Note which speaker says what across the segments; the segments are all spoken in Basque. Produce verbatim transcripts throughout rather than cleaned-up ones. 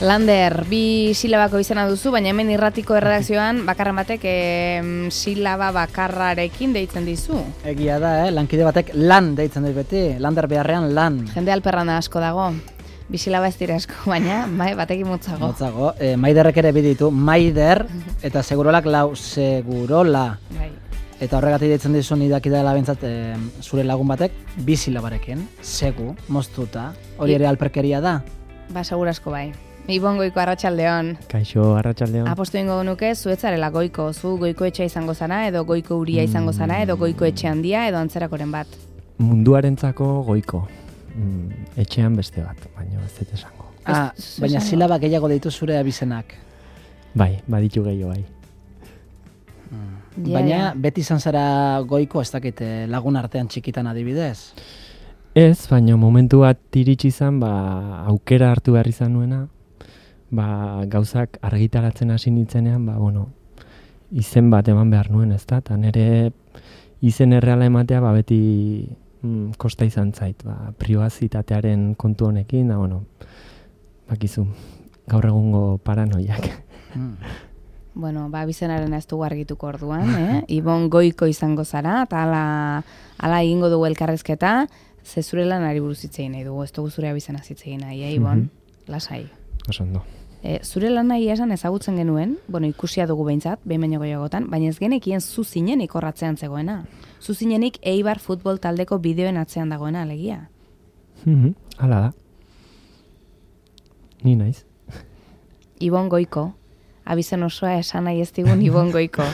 Speaker 1: Lander, bi silabako izena duzu, baina hemen irratiko erredakzioan bakarren batek e, silaba bakarrarekin deitzen dizu.
Speaker 2: Egia da, eh? Lankide batek lan deitzen dit beti, Lander beharrean lan.
Speaker 1: Jende alperrana asko dago, bi silaba ez dira asko, baina bai, batekin motzago.
Speaker 2: Motzago, e, Maiderrek ere biditu, Maider eta Segurolak lau, Segurola.
Speaker 1: Bai.
Speaker 2: Eta horregatik deitzen dizu nidaki dela bentsat e, zure lagun batek, bi silabarekin, segu, moztuta, hori ere alperkeria da?
Speaker 1: Ba, segur asko bai. Ibon Goiko, arratsaldeon.
Speaker 3: Kaixo, arratsaldeon.
Speaker 1: Apostu ingo nuke, zuetzarela goiko, zu goiko etxea izango zara, edo goiko uria izango zara, edo goiko etxe handia, edo antzerakoren bat.
Speaker 3: Munduarentzako goiko, mm, etxean beste bat, baina ez dut esango.
Speaker 2: Ah, baina silaba gehiago deitu zure abizenak.
Speaker 3: Bai, baditu gehiago bai.
Speaker 2: Mm. Yeah, baina yeah. Beti izan zara goiko, ez dakit lagun artean txikitan adibidez?
Speaker 3: Ez, baina momentu bat iritsi izan, ba, aukera hartu behar izan nuena, ba, gauzak argitaratzen hasi nintzenean, ba, bueno, izen bat eman behar nuen, ez da? Eta nire izen erreala ematea, ba, beti mm, kosta izan zait, ba, pribazitatearen kontu honekin, da, bueno, bakizu, gaur egungo paranoiak.
Speaker 1: Mm. Bueno, ba, bizenaren ez dugu argituko orduan, eh? Ibon Goiko izango zara, eta ala, ala egingo dugu elkarrezketa, ze zure lanari buruz hitz egin nahi dugu, ez dugu zure abizena hitz egin nahi, eh, Ibon? Mm-hmm. Lasai.
Speaker 3: Osondo.
Speaker 1: E, zure lan nahi esan ezagutzen genuen, bueno, ikusia dugu behintzat, behin baino gehiagotan, baina ez genekien zu zinenik horratzean zegoena. Zu zinenik Eibar futbol taldeko bideoen atzean dagoena, alegia.
Speaker 3: Mm-hmm. Hala da. Ni naiz.
Speaker 1: Ibon Goiko, abizen osoa esan nahi ez digun Ibon Goiko.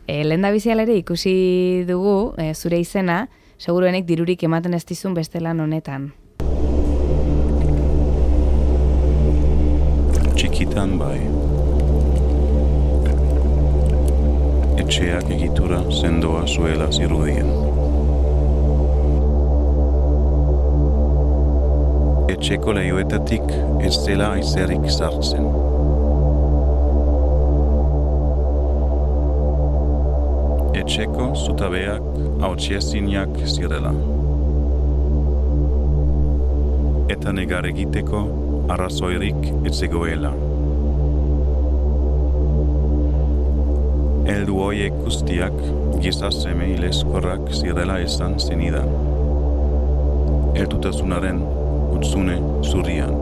Speaker 1: E, lehen da bizialere ikusi dugu, e, zure izena, seguruenek dirurik ematen ez dizun beste lan honetan.
Speaker 4: Txikitan bai. Etxeak egitura sendoa zuela zirudien. Etxeko lehioetatik ez dela aizerik sartzen. Etxeko zutabeak hautsezinak zirela. Eta negar egiteko arrazoirik ez zegoela. Heldu horiek guztiak giza seme hilezkorrak zirela esan zenidan. Heldutasunaren hutsune zurian.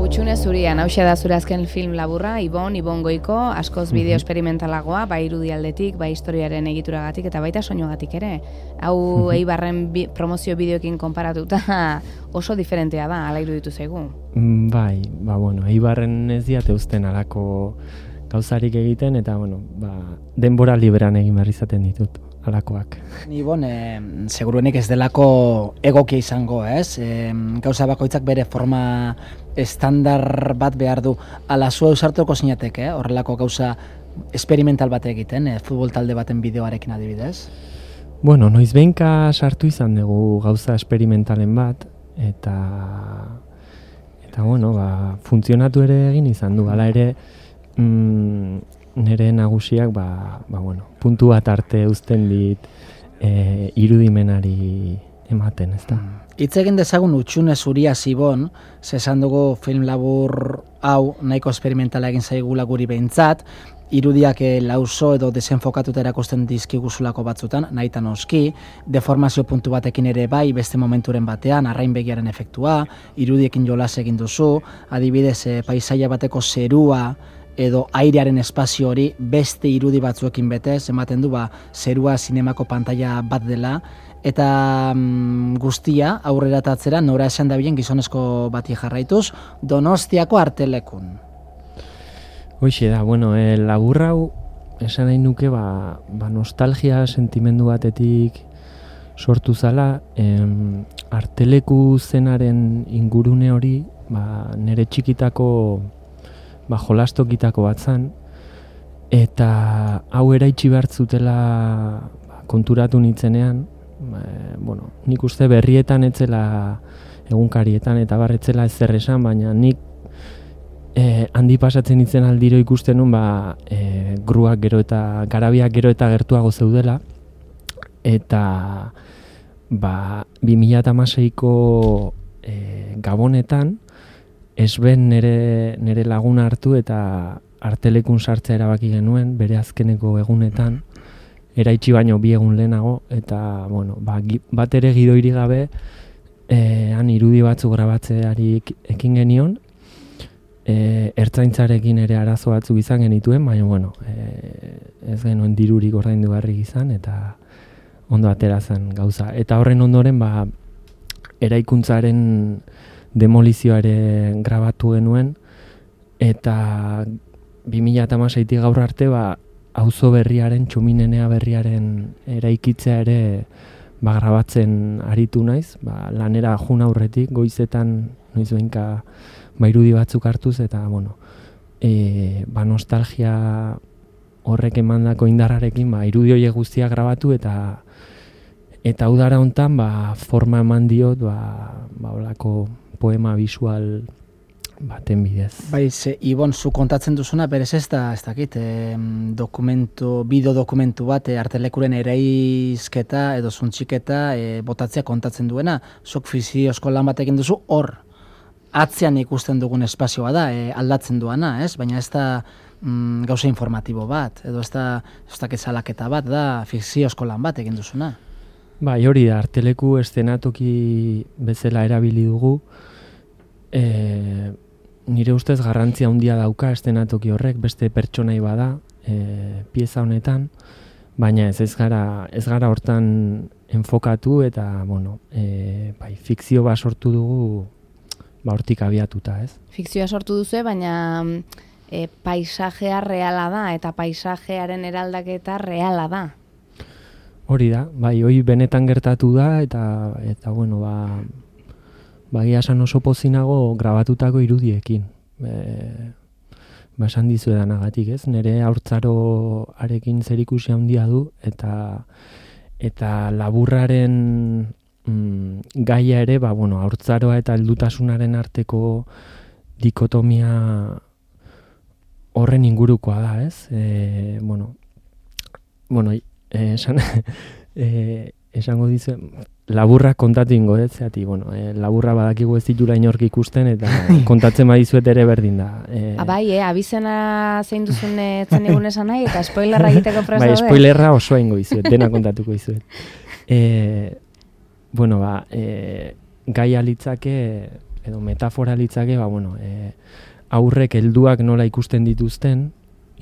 Speaker 1: Hutsune zurian, hauxe da zure azken film laburra, Ibon, Ibon Goiko, askoz bideo esperimentalagoa, bai irudialdetik, bai historiaren egituragatik, eta baita soinuagatik ere. Hau Eibarren bi, promozio bideoekin konparatuta oso diferentea da, ala iruditu zaigu.
Speaker 3: Bai, ba bueno, Eibarren ez diate uzten alako gauzarik egiten, eta bueno, ba, denbora liberan egin behar izaten ditut. Alakoak.
Speaker 2: Ni bon, e, seguruenik ez delako egokia izango, ez? E, gauza bakoitzak bere forma estandar bat behar du. Ala zu eusartuko zinatek, eh? Horrelako gauza experimental bat egiten, e, futbol talde baten bideoarekin adibidez?
Speaker 3: Bueno, noiz behinka sartu izan dugu gauza experimentalen bat, eta eta bueno, ba, funtzionatu ere egin izan du, hala ere mm, nire nagusiak ba, ba, bueno, puntu bat arte uzten dit e, irudimenari ematen, ez da?
Speaker 2: Hitz egin dezagun Hutsune zuria Ibon, esan dugu film labur hau nahiko esperimentala egin zaigula guri behintzat, irudiak e, lauso edo desenfokatuta erakusten dizkiguzulako batzutan, nahitan oski, deformazio puntu batekin ere bai, beste momenturen batean, arrain begiaren efektua, irudiekin jolas egin duzu, adibidez e, paisaia bateko zerua, edo airearen espazio hori beste irudi batzuekin betez, ematen du ba, zerua zinemako pantaila bat dela, eta mm, guztia aurrera tatzera nora esan dabilen gizonezko bati jarraituz, Donostiako artelekun.
Speaker 3: Hoixe da, bueno, e, laburra hau esan nahi nuke ba, ba nostalgia sentimendu batetik sortu zala, em, arteleku zenaren ingurune hori ba, nire txikitako ba, jolastokitako bat zan, eta hau eraitsi behar zutela ba, konturatu nintzenean, ba, bueno, nik uste berrietan etzela egunkarietan eta barretzela ez zer esan, baina nik e, handi pasatzen nintzen aldiro ikusten nun, ba, e, gruak gero eta garabiak gero eta gertuago zeudela, eta ba, bi mila hamaseiko e, Gabonetan, esben nere, nere laguna hartu eta artelekun sartzea erabaki genuen, bere azkeneko egunetan, eraitsi baino bi egun lehenago, eta, bueno, ba, bat ere gidoiri gabe, e, han irudi batzu grabatzeari ekin genion, e, ertzaintzarekin ere arazo batzuk izan genituen, baina, bueno, e, ez genuen dirurik ordaindu beharrik izan, eta ondo atera zen gauza. Eta horren ondoren, ba, eraikuntzaren demolizioare grabatu genuen, eta bi mila hamaseitik gaur arte, ba, auzo berriaren, txuminenea berriaren eraikitzea ere ba, grabatzen aritu naiz, ba, lanera jun aurretik, goizetan noiz behinka ba, irudi batzuk hartuz, eta bueno, e, ba, nostalgia horrek emandako indarrarekin ba, irudi horiek guztiak grabatu, eta eta udara hontan ba, forma eman diot ba, ba, olako poema visual baten bidez.
Speaker 2: Bai, ze, Ibon, zu kontatzen duzuna, berez ez da, ez dakit, eh, dokumentu, bideo dokumentu bat, eh, artelekuren eraizketa edo zuntxiketa eh, botatzea kontatzen duena, zuk fiziozko lan batekin duzu, hor, atzean ikusten dugun espazioa da, eh, aldatzen duana, ez? Baina ez da mm, gauza informatibo bat, edo ez da, ez dakit salaketa bat, da fiziozko lan bat egin duzuna.
Speaker 3: Bai, hori da, arteleku eszenatoki bezala erabili dugu, e, nire ustez garrantzia handia dauka eszenatoki horrek, beste pertsonai bada, e, pieza honetan, baina ez ez gara, ez gara hortan enfokatu eta, bueno, e, bai, fikzio bat sortu dugu, ba, hortik abiatuta, ez?
Speaker 1: Fikzioa sortu duzu, baina e, paisajea reala da, eta paisajearen eraldaketa reala da.
Speaker 3: Hori da, bai, hori benetan gertatu da, eta, eta bueno, ba, bagia esan oso pozinago grabatutako irudiekin. E, ba, esan dizu edanagatik, ez? Nire haurtzaroarekin zerikusi handia du, eta, eta laburraren mm, gaia ere, ba, bueno, haurtzaroa eta heldutasunaren arteko dikotomia horren ingurukoa da, ez? E, bueno, bueno, Eh, esan, eh, esango dizu, laburra kontatu ingo, ez, zeati, bueno, eh, laburra badakigu ez ditula inork ikusten, eta kontatzen badizuet ere berdin da. Eh,
Speaker 1: Abai, eh, abizena zein duzun etzen egun esan nahi, eta spoilerra egiteko presa
Speaker 3: bai, spoilerra osoa ingo dizuet, dena kontatuko dizuet. Eh, bueno, ba, eh, gaia litzake, edo metafora litzake, ba, bueno, eh, aurrek helduak nola ikusten dituzten,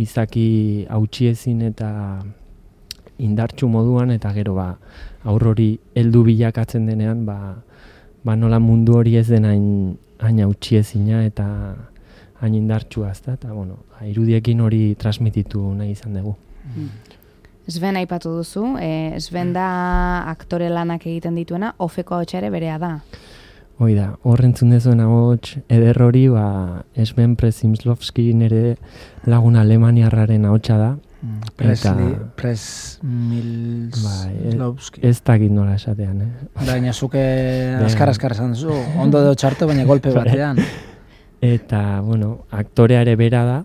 Speaker 3: izaki hautsiezin eta indartsu moduan, eta gero ba, aur hori heldu bilakatzen denean, ba, ba nola mundu hori ez den hain, hain hautsiezina eta hain indartsua, ezta? Eta bueno, ba, irudiekin hori transmititu nahi izan dugu.
Speaker 1: Mm. Sven aipatu duzu, eh, Sven da aktore lanak egiten dituena, ofeko ahotsa ere berea da.
Speaker 3: Hoi da, horrentzun dezuen ahots eder hori, ba, Sven Przemysłowski nire lagun alemaniarraren ahotsa da.
Speaker 2: Presley, Przemysłowski.
Speaker 3: Ez dakit nola esatean, eh?
Speaker 2: Baina zuke askar-askar esan duzu, ondo edo txarto, baina golpe batean.
Speaker 3: Eta, bueno, aktorea ere bera da,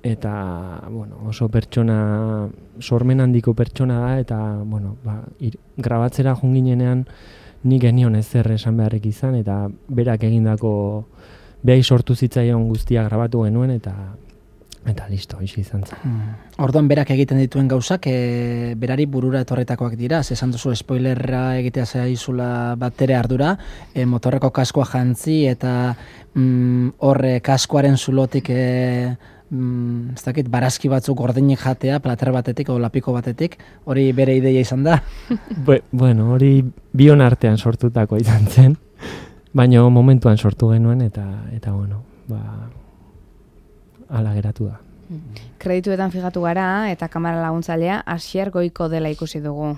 Speaker 3: eta, bueno, oso pertsona, sormen handiko pertsona da, eta, bueno, ba, ir, grabatzera junginenean nik genion ezer esan beharrik izan, eta berak egindako, behai sortu zitzaion guztia grabatu genuen, eta Eta listo, isi izan zen.
Speaker 2: Hmm. Orduan berak egiten dituen gauzak, e, berari burura etorretakoak dira, esan duzu spoilerra egitea zaizula batere ardura, e, motorreko kaskoa jantzi eta mm, horre kaskoaren zulotik e, mm, ez dakit, barazki batzuk gordinik jatea, plater batetik o lapiko batetik, hori bere ideia izan da?
Speaker 3: Be, bueno, hori bion artean sortutako izan zen, baina momentuan sortu genuen, eta, eta bueno, ba... ala geratu da.
Speaker 1: Kredituetan fijatu gara eta kamera laguntzailea Asier Goiko dela ikusi dugu.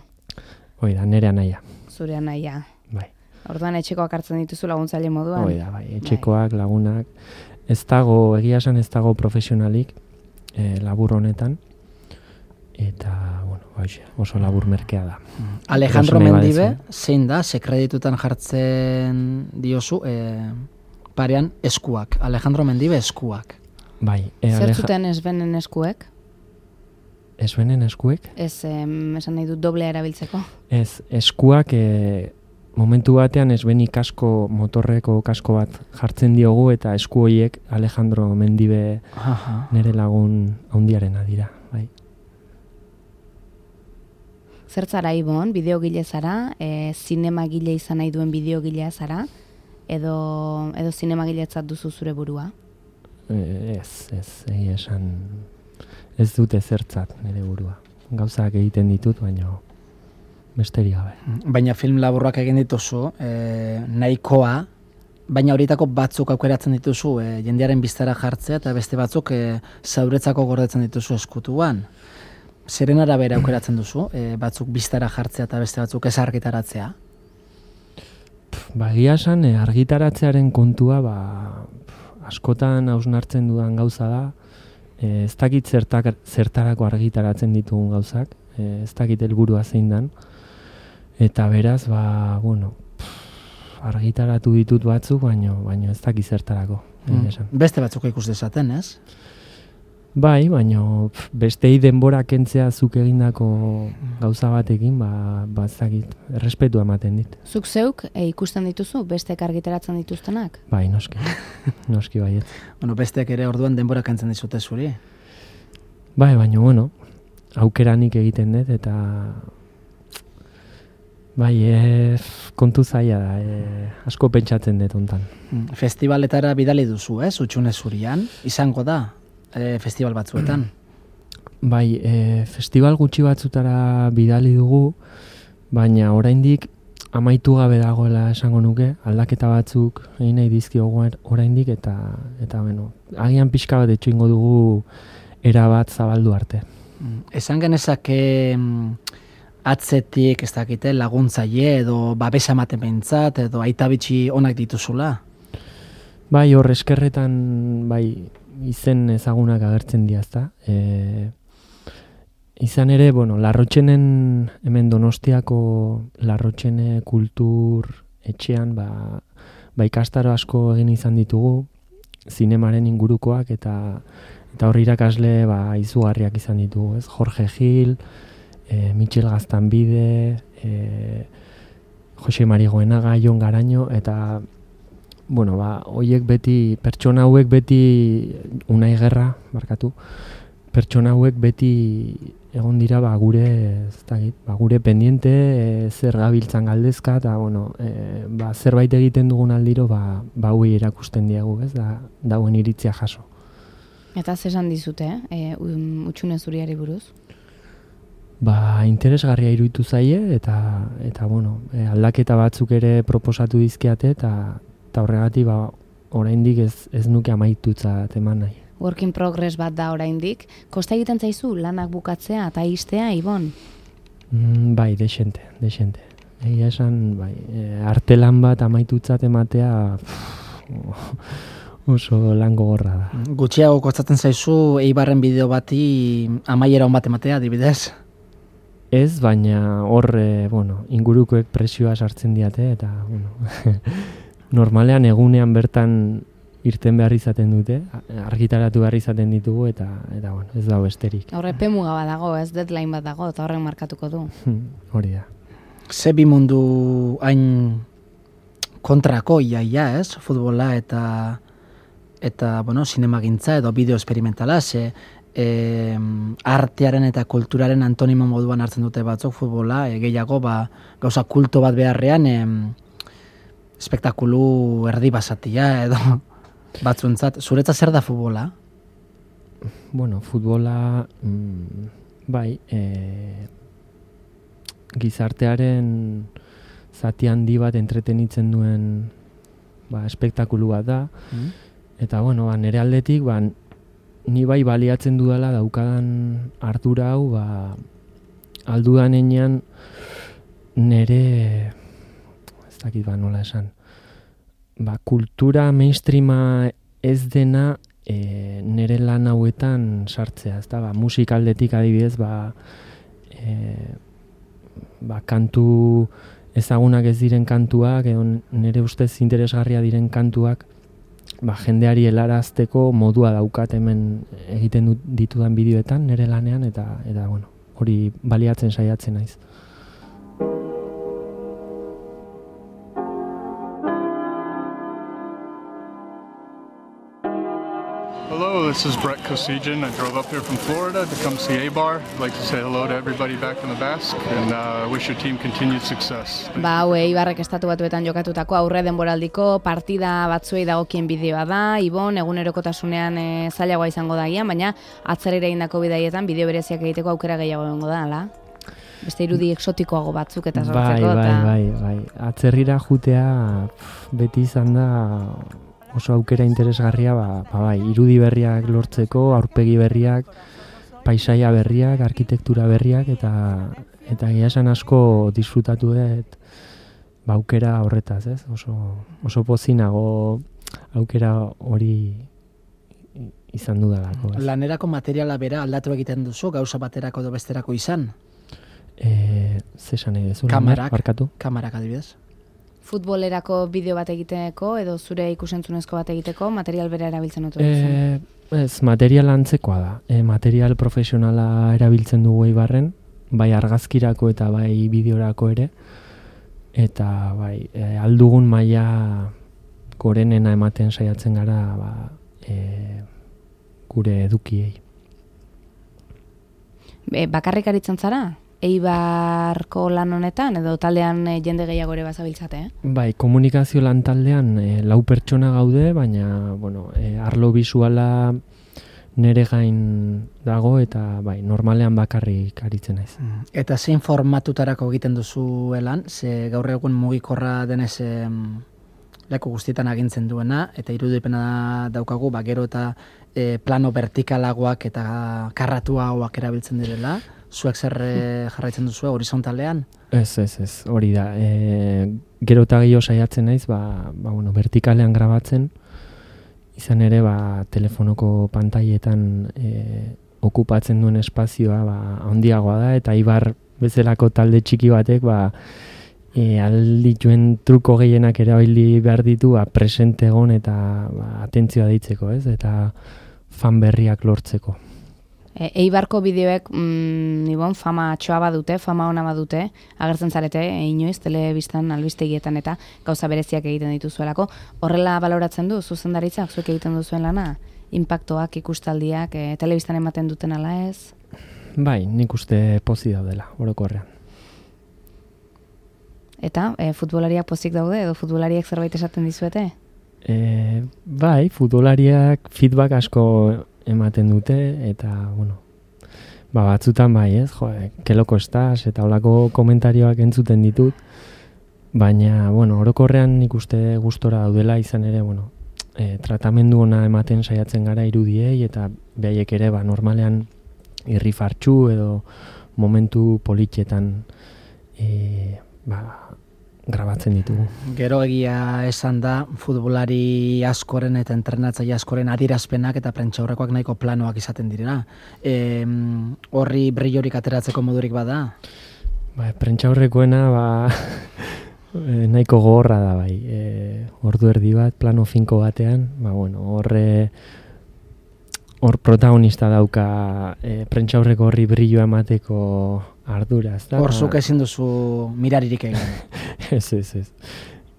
Speaker 3: Hoi da, nire anaia.
Speaker 1: Zure anaia.
Speaker 3: Bai.
Speaker 1: Orduan etxekoak hartzen dituzu laguntzaile moduan.
Speaker 3: Hoi da, bai, etxekoak, lagunak. Ez dago, egia esan ez dago profesionalik eh, labur honetan. Eta, bueno, baixe, oso labur merkea da.
Speaker 2: Alejandro Mendibe, zein da, ze kreditutan jartzen diozu, eh, parean eskuak. Alejandro Mendibe eskuak.
Speaker 3: Bai,
Speaker 1: e, Zer zuten Svenen eskuek?
Speaker 3: Svenen eskuek?
Speaker 1: Ez, em, esan nahi dut doblea erabiltzeko.
Speaker 3: Ez, eskuak, e, momentu batean esbeni kasko, motorreko kasko bat jartzen diogu eta esku horiek Alejandro Mendibe
Speaker 2: Aha.
Speaker 3: nire lagun handiarena dira, bai.
Speaker 1: Zertzara Ibon, bideogile zara, e, zinemagile izan nahi duen bideogilea zara, edo, edo zinemagiletzat duzu zure burua?
Speaker 3: Ez, ez, egia esan ez dute zertzat nire burua. Gauzak egiten ditut, baina besterik gabe.
Speaker 2: Baina film laburrak egin dituzu, e, nahikoa, baina horietako batzuk aukeratzen dituzu, e, jendearen biztara jartzea, eta beste batzuk e, zauretzako gordetzen dituzu eskutuan. Zeren arabera aukeratzen duzu, e, batzuk biztara jartzea eta beste batzuk ez argitaratzea?
Speaker 3: Ba, egia esan, e, argitaratzearen kontua, ba, askotan hausnartzen dudan gauza da, e, ez dakit zertak, zertarako argitaratzen ditugun gauzak, e, ez dakit helburua zein dan, eta beraz, ba, bueno, pff, argitaratu ditut batzuk, baino, baino ez dakit zertarako.
Speaker 2: Mm. Beste batzuk ikus dezaten, ez?
Speaker 3: Bai, baino pff, bestei denbora kentzea zuk egindako gauza batekin, ba, ba ez dakit, errespetua ematen dit.
Speaker 1: Zuk zeuk e, ikusten dituzu, bestek argitaratzen dituztenak?
Speaker 3: Bai, noski, noski baiet.
Speaker 2: Bueno, besteak ere orduan denbora kentzen dizute zuri?
Speaker 3: Bai, baino, bueno, aukeranik egiten dut, eta bai, e, kontu zaila da, e, asko pentsatzen dut hontan.
Speaker 2: Festivaletara bidali duzu, ez? Utxune Zurian, izango da, e, festival batzuetan.
Speaker 3: Bai, e, festival gutxi batzutara bidali dugu, baina oraindik amaitu gabe dagoela esango nuke, aldaketa batzuk egin nahi dizkiogu oraindik, eta, eta bueno, agian pixka bat etxo ingo dugu erabat zabaldu arte.
Speaker 2: Esan genezake atzetik, ez dakite, laguntzaile edo babesa ematen behintzat, edo aita bitxi onak dituzula?
Speaker 3: Bai, hor eskerretan, bai, izen ezagunak agertzen diazta. E, izan ere, bueno, Larrotxenen, hemen Donostiako Larrotxene kultur etxean, ba, ba ikastaro asko egin izan ditugu, zinemaren ingurukoak, eta eta hor irakasle ba, izugarriak izan ditugu, ez? Jorge Gil, e, Michel Gaztanbide, e, Jose Mari Goenaga, Jon Garaño, eta bueno, ba, hoiek beti, pertsona hauek beti, Unai Gerra, markatu, pertsona hauek beti egon dira ba, gure, ez dakit, ba, gure pendiente, e, zer gabiltzan galdezka, eta bueno, e, ba, zerbait egiten dugun aldiro, ba, ba hauei erakusten diegu, ez, da, dauen iritzia jaso.
Speaker 1: Eta zesan dizute, eh? e, Utxune Zuriari buruz?
Speaker 3: Ba, interesgarria iruditu zaie, eta, eta bueno, e, aldaketa batzuk ere proposatu dizkiate, eta eta horregatik ba, oraindik ez, ez nuke amaitutzat eman nahi.
Speaker 1: Work in progress bat da oraindik. Kosta egiten zaizu lanak bukatzea eta istea, Ibon?
Speaker 3: Mm, bai, desente, desente. Egia esan, bai, e, artelan bat amaitutzat ematea pff, oso lan gogorra da.
Speaker 2: Gutxiago kostatzen zaizu Eibarren bideo bati amaiera on bat ematea, adibidez?
Speaker 3: Ez, baina hor, e, bueno, ingurukoek presioa sartzen diate, eta, bueno, normalean egunean bertan irten behar izaten dute, argitaratu behar izaten ditugu, eta, eta bueno, ez dago besterik.
Speaker 1: Horre pemuga bat dago, ez deadline bat dago, eta horren markatuko du.
Speaker 3: Hori da.
Speaker 2: Ze bi mundu hain kontrako iaia, ez? Futbola eta eta, bueno, zinemagintza edo bideo esperimentala, ze e, artearen eta kulturaren antonimo moduan hartzen dute batzuk futbola, e, gehiago, ba, gauza kulto bat beharrean, e, espektakulu erdi basatia edo batzuentzat. Zuretzat zer da futbola?
Speaker 3: Bueno, futbola, mm, bai, e, gizartearen zati handi bat entretenitzen duen ba, espektakulu bat da. Mm. Eta, bueno, ba, nire aldetik, ba, ni bai baliatzen dudala daukadan ardura hau, ba, aldudan enean nire... dakit ba nola esan. Ba, kultura mainstreama ez dena e, nire lan hauetan sartzea, ezta? Ba, musikaldetik adibidez, ba, e, ba, kantu ezagunak ez diren kantuak, edo nire ustez interesgarria diren kantuak, ba, jendeari helarazteko modua daukat hemen egiten ditudan bideoetan nire lanean, eta, eta bueno, hori baliatzen saiatzen naiz.
Speaker 5: this is Brett Kosijan. I drove up here from Florida to come see A-Bar. I'd like to say hello to everybody back in the Basque, and uh, wish your team continued success.
Speaker 1: Ba, hau Eibarrek estatu batuetan jokatutako aurre denboraldiko partida batzuei dagokien bideoa da. Ibon, egunerokotasunean e, zailagoa izango da gian, baina atzerera egindako bidaietan bideo bereziak egiteko aukera gehiago egongo da, ala? Beste irudi exotikoago batzuk eta sortzeko.
Speaker 3: Bai, bai, bai, bai. Atzerrira jutea beti izan da oso aukera interesgarria, ba, ba bai, irudi berriak lortzeko, aurpegi berriak, paisaia berriak, arkitektura berriak, eta eta egia esan asko disfrutatu dut ba, aukera horretaz, ez? Oso, oso pozinago aukera hori izan dudalako.
Speaker 2: Lanerako materiala bera aldatu egiten duzu, gauza baterako edo besterako izan?
Speaker 3: E, Zesan nahi dezu?
Speaker 2: Kamarak,
Speaker 3: barkatu?
Speaker 2: Kamarak adibidez.
Speaker 1: Futbolerako bideo bat egiteko edo zure ikusentzunezko bat egiteko material bera erabiltzen dut duzu?
Speaker 3: E, ez, material antzekoa da. E, material profesionala erabiltzen dugu Eibarren, bai argazkirako eta bai bideorako ere, eta bai e, aldugun maila gorenena ematen saiatzen gara ba, e, gure edukiei.
Speaker 1: E, bakarrik aritzen zara? Eibarko lan honetan edo taldean e, jende gehiago ere bazabiltzate, eh?
Speaker 3: Bai, komunikazio lan taldean e, lau pertsona gaude, baina bueno, e, arlo bisuala nere gain dago eta bai, normalean bakarrik aritzen naiz.
Speaker 2: Eta zein formatutarako egiten duzu lan, ze gaur egun mugikorra denez em, leku guztietan agintzen duena, eta irudipena daukagu, ba, gero eta e, plano vertikalagoak eta karratuagoak erabiltzen direla. Zuek zer jarraitzen duzu horizontalean?
Speaker 3: Ez, ez, ez, hori da. E, gero eta gehiago saiatzen naiz, ba, ba, bueno, vertikalean grabatzen, izan ere ba, telefonoko pantailetan e, okupatzen duen espazioa ba, handiagoa da, eta Eibar bezalako talde txiki batek ba, e, aldituen truko gehienak erabili behar ditu ba, presente egon eta ba, atentzioa deitzeko, ez? Eta fan berriak lortzeko.
Speaker 1: E, Eibarko bideoek mm, ibon, fama txoa badute, fama ona badute, agertzen zarete, e, inoiz, telebistan, albistegietan eta gauza bereziak egiten dituzuelako. Horrela baloratzen du, zuzendaritzak, zuek egiten duzuen lana? Impaktoak, ikustaldiak, e, telebistan ematen duten ala ez?
Speaker 3: Bai, nik uste pozik daudela, orokorrean.
Speaker 1: Eta, e, futbolariak pozik daude, edo futbolariak zerbait esaten dizuete?
Speaker 3: E, bai, futbolariak feedback asko ematen dute, eta, bueno, ba, batzutan bai, ez, jo, que loko estás, eta holako komentarioak entzuten ditut, baina, bueno, orokorrean nik uste gustora daudela, izan ere, bueno, e, tratamendu ona ematen saiatzen gara irudiei, eta behaiek ere, ba, normalean irrifartxu edo momentu politxetan e, ba, grabatzen ditugu.
Speaker 2: Gero egia esan da, futbolari askoren eta entrenatzaile askoren adierazpenak eta prentsaurrekoak nahiko planoak izaten direla. E, horri brillorik ateratzeko modurik bada?
Speaker 3: Ba, prentsaurrekoena ba, nahiko gogorra da bai. E, ordu erdi bat, plano finko batean, ba, bueno, horre hor protagonista dauka e, prentsaurreko horri brilloa emateko ardura, ez da?
Speaker 2: Hor zuk ezin duzu miraririk egin.
Speaker 3: Ez, ez, ez.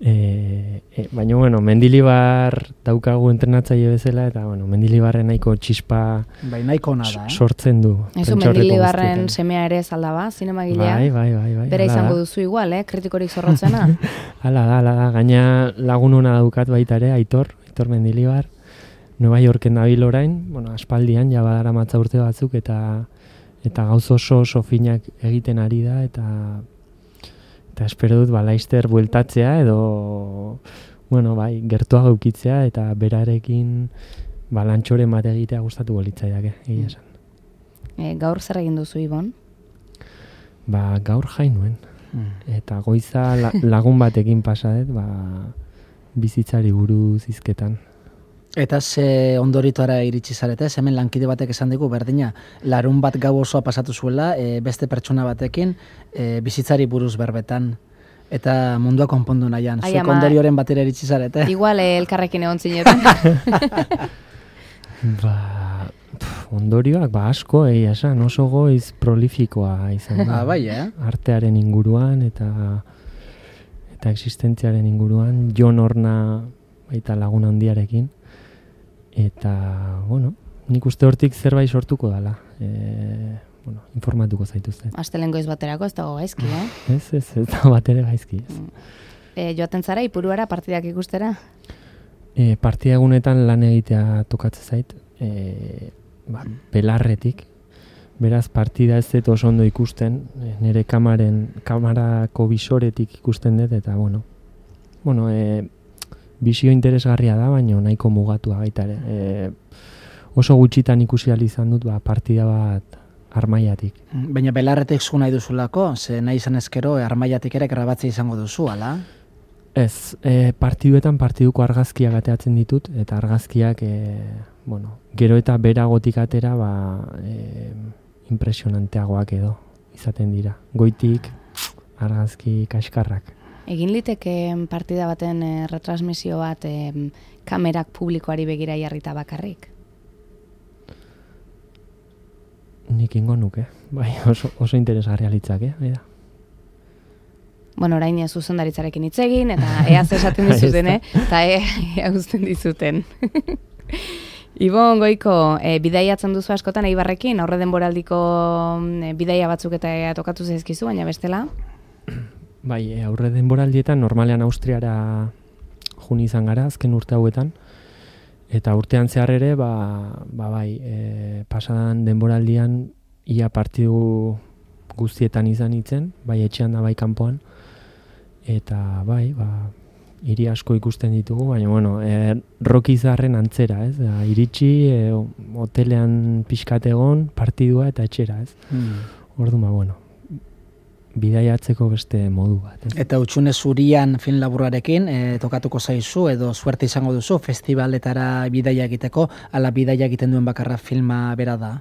Speaker 3: E, e, baina, bueno, Mendilibar daukagu entrenatzaile bezala, eta, bueno, Mendilibarren nahiko txispa
Speaker 2: bai, nahiko ona da, eh?
Speaker 3: sortzen du.
Speaker 1: Ezu Mendilibarren semea ere zaldaba, zinemagilea?
Speaker 3: Bai, bai, bai, bai.
Speaker 1: Bera izango duzu igual, eh? Kritikorik zorrotzena?
Speaker 3: Hala da, hala da. Gaina lagun ona daukat baita ere, Aitor, Aitor Mendilibar. Nueva Yorken dabil orain, bueno, aspaldian, ja badara matza urte batzuk, eta eta gauz oso oso finak egiten ari da, eta eta espero dut ba, laizter bueltatzea, edo, bueno, bai, gertuago eukitzea, eta berarekin ba, lantxoren bat egitea gustatuko litzaiake, egia esan.
Speaker 1: E, gaur zer egin duzu, Ibon?
Speaker 3: Ba, gaur jai nuen. Eta goiza la, lagun batekin pasadet, ba, bizitzari buruz hizketan.
Speaker 2: Eta ze ondorituara iritsi zarete, hemen lankide batek esan digu, berdina, larun bat gau osoa pasatu zuela, e, beste pertsona batekin, e, bizitzari buruz berbetan, eta mundua konpondu nahian. Zuek ondorioren batera iritsi zarete.
Speaker 1: Igual eh, elkarrekin egon zinetan.
Speaker 3: Ba, pf, ondorioak, ba, asko, egia esan, oso goiz prolifikoa izan da.
Speaker 2: Ah, bai, eh?
Speaker 3: Artearen inguruan, eta eta existentziaren inguruan, Jon Horna baita lagun handiarekin. Eta, bueno, nik uste hortik zerbait sortuko dala. E, bueno, informatuko zaituzte.
Speaker 1: Astelehen goiz baterako ez dago gaizki, eh?
Speaker 3: Ez, ez, ez da bat ere gaizki, ez.
Speaker 1: E, joaten zara, ipuruara partidak ikustera?
Speaker 3: E, partida egunetan lan egitea tokatzen zait, e, ba, belarretik. Beraz, partida ez dut oso ondo ikusten, nire kamaren, kamarako bisoretik ikusten dut, eta, bueno, bueno, e, bisio interesgarria da, baina nahiko mugatua baita ere. E, oso gutxitan ikusi ahal izan dut, ba, partida bat armaiatik.
Speaker 2: Baina belarretik zu nahi duzulako, ze nahi izan ezkero, armaiatik ere grabatzea izango duzu, ala?
Speaker 3: Ez, e, partiduetan partiduko argazkiak ateatzen ditut, eta argazkiak, e, bueno, gero eta beragotik atera, ba, e, impresionanteagoak edo izaten dira. Goitik argazki kaskarrak.
Speaker 1: Egin liteke partida baten e, retransmisio bat e, kamerak publikoari begira jarrita bakarrik?
Speaker 3: Nik ingo nuke, bai, oso, oso interesgarria litzake, eh?
Speaker 1: Bueno, orain ez zuzendaritzarekin hitz egin, eta ea esaten dizuten, eh? Eta ea uzten dizuten. Ibon Goiko, e, bidaiatzen duzu askotan Eibarrekin, aurre denboraldiko e, bidaia batzuk eta e, tokatu zaizkizu, baina bestela?
Speaker 3: Bai, e, aurre denboraldietan normalean Austriara jun izan gara, azken urte hauetan, eta urtean zehar ere, ba, ba bai, e, pasadan denboraldian ia partidu guztietan izan itzen, bai etxean da bai kanpoan, eta bai, ba, hiri asko ikusten ditugu, baina, bueno, e, Rocky Zarren antzera, ez? Da, iritsi, e, hotelean pixkat egon, partidua eta etxera, ez? Mm. Orduan, ba, bueno, bidaiatzeko beste modu bat. Ez?
Speaker 2: Eta Hutsune Zurian film laburrarekin, e, tokatuko zaizu, edo suerte izango duzu, festivaletara bidaia egiteko, ala bidaia egiten duen bakarra filma bera da?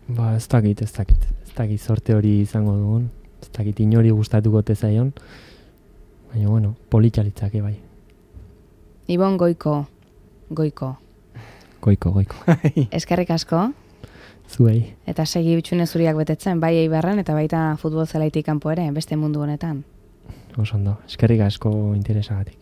Speaker 3: Ba, ez dakit, ez dakit. Ez dakit sorte hori izango dugun, ez dakit inori gustatuko tezaion, baina, bueno, politxalitzake bai.
Speaker 1: Ibon Goiko, Goiko.
Speaker 3: Goiko, goiko.
Speaker 1: Eskerrik asko.
Speaker 3: Zuei.
Speaker 1: Eta segi Hutsune Zuriak betetzen, bai Eibarren eta baita futbol zelaitik kanpo ere, beste mundu honetan.
Speaker 3: Oso ondo, eskerrik asko interesagatik.